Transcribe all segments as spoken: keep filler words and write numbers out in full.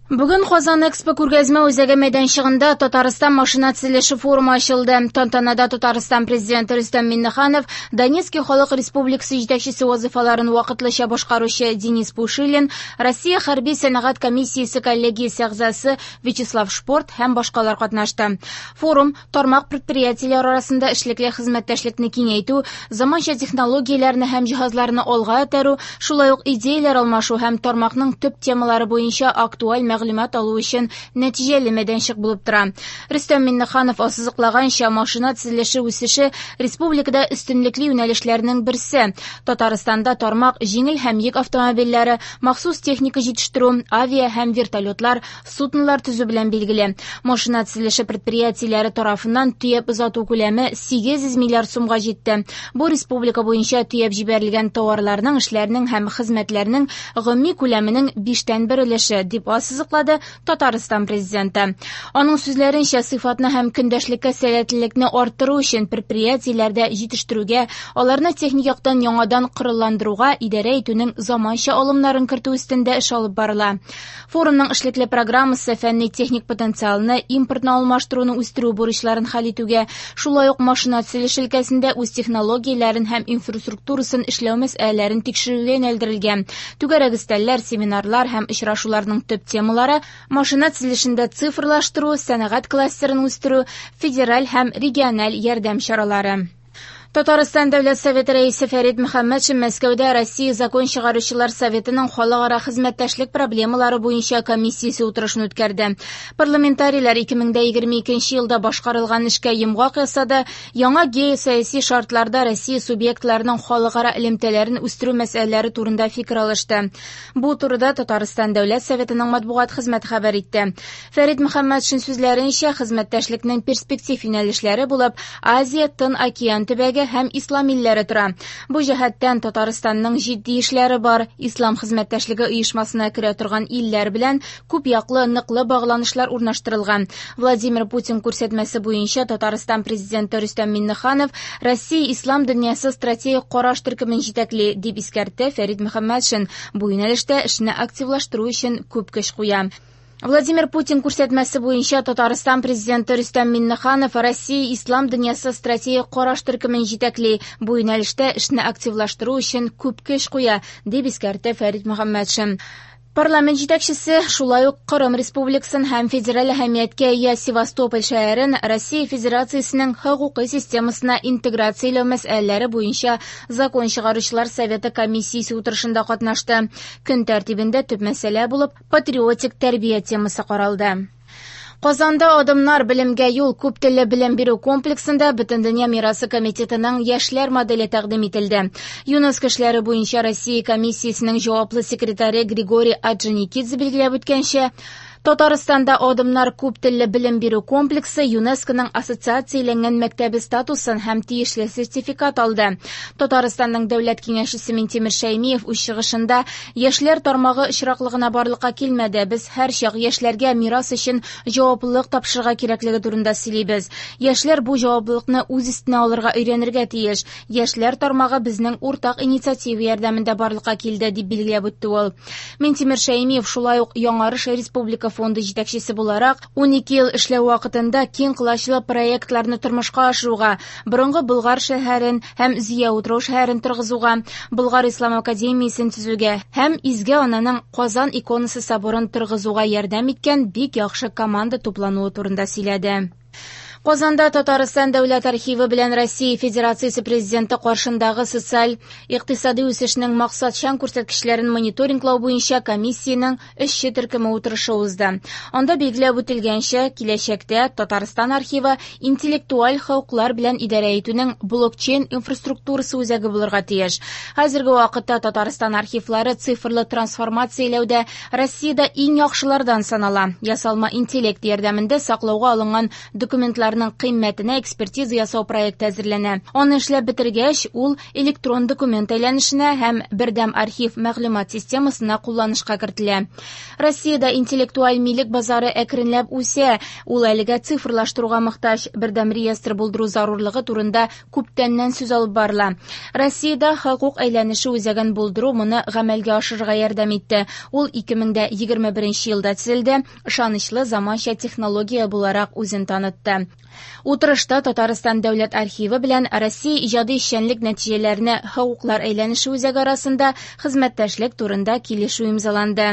Бүген Казан Экспо күргәзмә үзәге мәйданчыгында Татарстан машина төзелеше форумы ачылды. Тантанада Татарстан президенты Рөстәм Миңнеханов, Донецкий халык республикасы җитәкчесе вазифаларын вакытлыча башкаручы Денис Пушилин, Россия хәрби сәнәгать комиссиясе коллегиясе әгъзасы Вячеслав Шпорт һәм башкалар катнашты. Форум тармак предприятиеләре арасында эшлекле хезмәттәшлекне киңәйтү, заманча технологияләрне һәм җиһазларны алга этәрү, шулай ук идеяләр алмашу һәм тармакның төп темалары буенча актуаль мәгълүмат алу өчен нәтиҗәле мәйданчык булып тора. Рөстәм Миңнеханов ассызыклаганча, машина төзелеше үсеше республикада өстенлекле юнәлешләрнең берсе. Татарстанда тармак җиңел һәм йөк автомобильләре, махсус техника җитештерү, авиа һәм вертолетлар, суднолар төзү белән билгеле. Машина төзелеше предприятиеләре тарафыннан төяп озату күләме сигез йөз миллиард сумга җитте. Бу республика буенча төяп җибәрелгән товарларның, эшләрнең һәм хезмәтләрнең гомуми күләменең биштән бер өлеше, дип ассызыклады Татарстан президенты. Аның сүзләренчә, сыйфатны һәм көндәшлеккә сәләтлелекне арттыру өчен предприятиеләрдә җитештерүгә, аларны техник яктан яңадан коралландыруга идарә итүнең заманча алымнарын кертү өстендә эш алып барыла. Форумның эшлекле программасы фәнни-техник потенциалны, импортны алмаштыруны үстерү бурычларын хәл итүгә, шулай ук машина төзелеше өлкәсендә үз технологияләрен һәм инфраструктурасын эшләү мәсьәләләрен тикшерүгә юнәлдерелгән. Түгәрәк өстәлләр, семинарлар һәм очрашуларның төп темалары машина төзелешендә цифрлаштыру, сәнәгать кластерын үстерү, федераль һәм региональ ярдәм чаралары. Татарстан Дәүләт Советы рәисе Фәрит Мөхәммәтшин Мәскәүдә Россия Закон чыгаручылар Советының халыкара хезмәттәшлек проблемалары буенча комиссиясе утырышын үткәрде. Парламентарийлар ике мең егерме икенче елда башкарылган эшкә йомгак ясады, яңа геосәяси шартларда Россия субъектларының халыкара элемтәләрен үстерү мәсьәләләре турында фикер алышты. Бу турыда Татарстан Дәүләт Советының матбугат хезмәте хәбәр итте. Фәрит Мөхәммәтшин сүзләренчә, хезмәттәшлекнең перспектив юнәлешләре булып Азия, Тын океан төбәге һәм ислам илләре тора. Бу җәһәттән Татарстанның җитди эшләре бар. Ислам хезмәттәшлеге оешмасына керә торган илләр белән күп яклы ныклы багланышлар урнаштырылган. Владимир Путин күрсәтмәсе буенча Татарстан президенты Рөстәм Миңнеханов Россия ислам дөньясы стратегик караш төркемен җитәкли, дип искәртте Фәрит Мөхәммәтшин. Бу юнәлештә эшне активлаштыру өчен күп көч куя. Владимир Путин күрсәтмәсе буенча Татарстан президенты Рөстәм Миңнеханов Россия ислам дөньясы стратегик караш төркемен җитәкли. Бу юнәлештә эшне активлаштыру өчен күп көч куя, дип искәртте Фәрит Мөхәммәтшин. Парламент җитәкчесе шулай ук Кырым Республикасын һәм федераль әһәмияткә ия Севастополь шәһәрен Россия Федерациясенең хокукый системасына интеграцияләү мәсьәләләре буенча Закон чыгаручылар Советы комиссиясе утырышында катнашты. Көн тәртибендә төп мәсьәлә булып патриотик тәрбия темасы каралды. Казанда Адымнар белемгә юл күп телле белем бирү комплексында Бөтендөнья мирасы комитетының яшьләр моделе тәкъдим ителде. ЮНЕСКО эшләре буенча Россия комиссиясенең җаваплы секретаре Григорий Орджоникидзе билгеләп үткәнчә, Татарстанда Адымнар күп телле белем бирү комплексы ЮНЕСКОның ассоциацияләнгән мәктәбе статусын һәм тиешле сертификат алды. Татарстанның дәүләт киңәшчесе Минтимер Шәймиев үз чыгышында яшьләр тармагы очраклыгына барлыкка килмәде. Без һәрчак яшьләргә мирас өчен җаваплылык тапшырырга кирәклеге турында сөйлибез. Яшьләр бу җаваплылыкны үз өстенә алырга өйрәнергә тиеш. Яшьләр тармагы безнең уртак инициатива ярдәмендә барлыкка килде, дип билгеләп үтте ул. Минтимер Шәймиев шулай ук Яңарыш республика фонды җитәкчесе буларак ун ике ел эшләү вакытында киң колачлы проектларны тормышка ашыруга, борынгы Болгар шәһәрен һәм Зөя утрау шәһәрен торгызуга, Болгар ислам академиясен төзүгә һәм Изге Ананың Казан иконасы соборын торгызуга ярдәм иткән бик яхшы команда туплануы турында сөйләде. Казанда Татарстан Дәүләт архивы белән Россия Федерациясе Президенты каршындагы социаль икътисади үсешнең максатчан күрсәткечләрен мониторинглау буенча комиссиянең эшче төркеме утырышы узды. Анда билгеләп үтелгәнчә, киләчәктә Татарстан архивы интеллектуаль хокуклар белән идарә итүнең блокчейн инфраструктурасы үзәге булырга тиеш. Хәзерге вакытта Татарстан архивлары цифрлы трансформацияләүдә Россиядә иң яхшылардан санала. Ясалма интеллект ярдәмендә саклауга алынган документлар объектларның кыйммәтенә экспертиза ясау проекты әзерләнә. Аны эшләп бетергәч, ул электрон документ әйләнешенә һәм бердәм архив мәгълүмат системасына кулланышка кертелә. Россиядә интеллектуаль милек базары әкренләп үсә. Ул әлегә цифрлаштыруга мохтаҗ. Бердәм реестр булдыру зарурлыгы турында күптәннән сүз алып барыла. Россиядә хокук әйләнеше үзәген булдыру моны гамәлгә ашырырга ярдәм итте. Ул ике мең дә егерме беренче елда төзелде, ышанычлы заманча технология буларак үзен танытты. Утырышта Татарстан дәүләт архивы белән Россия иҗади эшчәнлек нәтиҗәләренә хокуклар әйләнеше үзәге арасында хезмәттәшлек турында килешү имзаланды.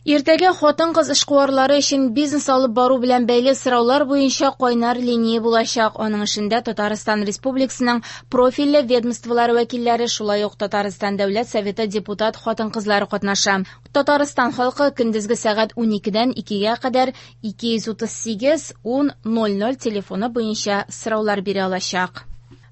Иртәгә хатын-кыз эшкуарлары өчен бизнес алып бару белән бәйле сораулар буенча кайнар линия булачак. Аның эшендә Татарстан Республикасының профильле ведомстволары вәкилләре, шулай ук Татарстан Дәүләт Советы депутат хатын-кызлары катнаша. Татарстан халкы көндезге сәгать уникедән икегә кадәр ике йөз утыз сигез ун ноль ноль телефоны буенча сораулар бирә алачак.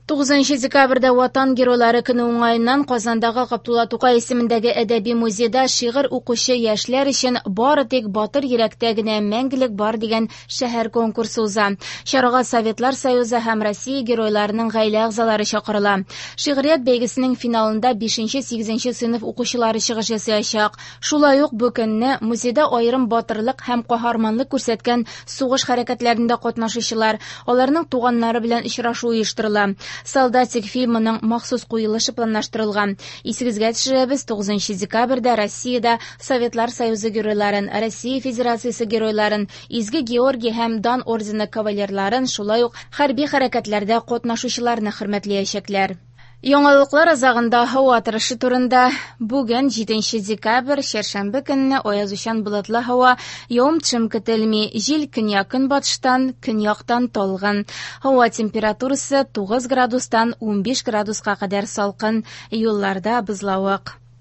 Тугызынчы декабрьдә Ватан геройлары көне уңаеннан Казандагы Габдулла Тукай исемендәге әдәби музейда шигырь укучы яшьләр өчен бары тик батыр йөрәктә генә мәңгелек бар дигән шәһәр конкурсы уза. Чарага Советлар Союзы һәм Россия геройларының гаилә әгъзалары чакырыла. Шигърият бәйгесенең финалында бишенче-сигезенче сыйныф укучылары чыгыш ясаячак. Шулай ук бу көнне музейда аерым батырлык һәм каһарманлык күрсәткән сугыш хәрәкәтләрендә катнашучылар, аларның туганнары белән очрашу оештырыла. Солдатик фильмының махсус куелышы планлаштырылган. Исегезгә төшерәбез, тугызынчы декабрьдә Россиядә Советлар Союзы геройларын, Россия Федерациясе геройларын, Изге Георгий һәм Дан ордены кавалерларын, шулай ук хәрби хәрәкәтләрдә катнашучыларны хөрмәтләячәкләр. Яңалыклар азагында һава торышы турында. Бүген җиденче декабрь, чәршәмбе көнне аязучан болытлы һава, явым-төшем көтелми, җил көньяк-көнбатыштан, көньяктан талгын. Һава температурасы тугыз градустан унбиш градуска кадәр салкын, юлларда бозлавык.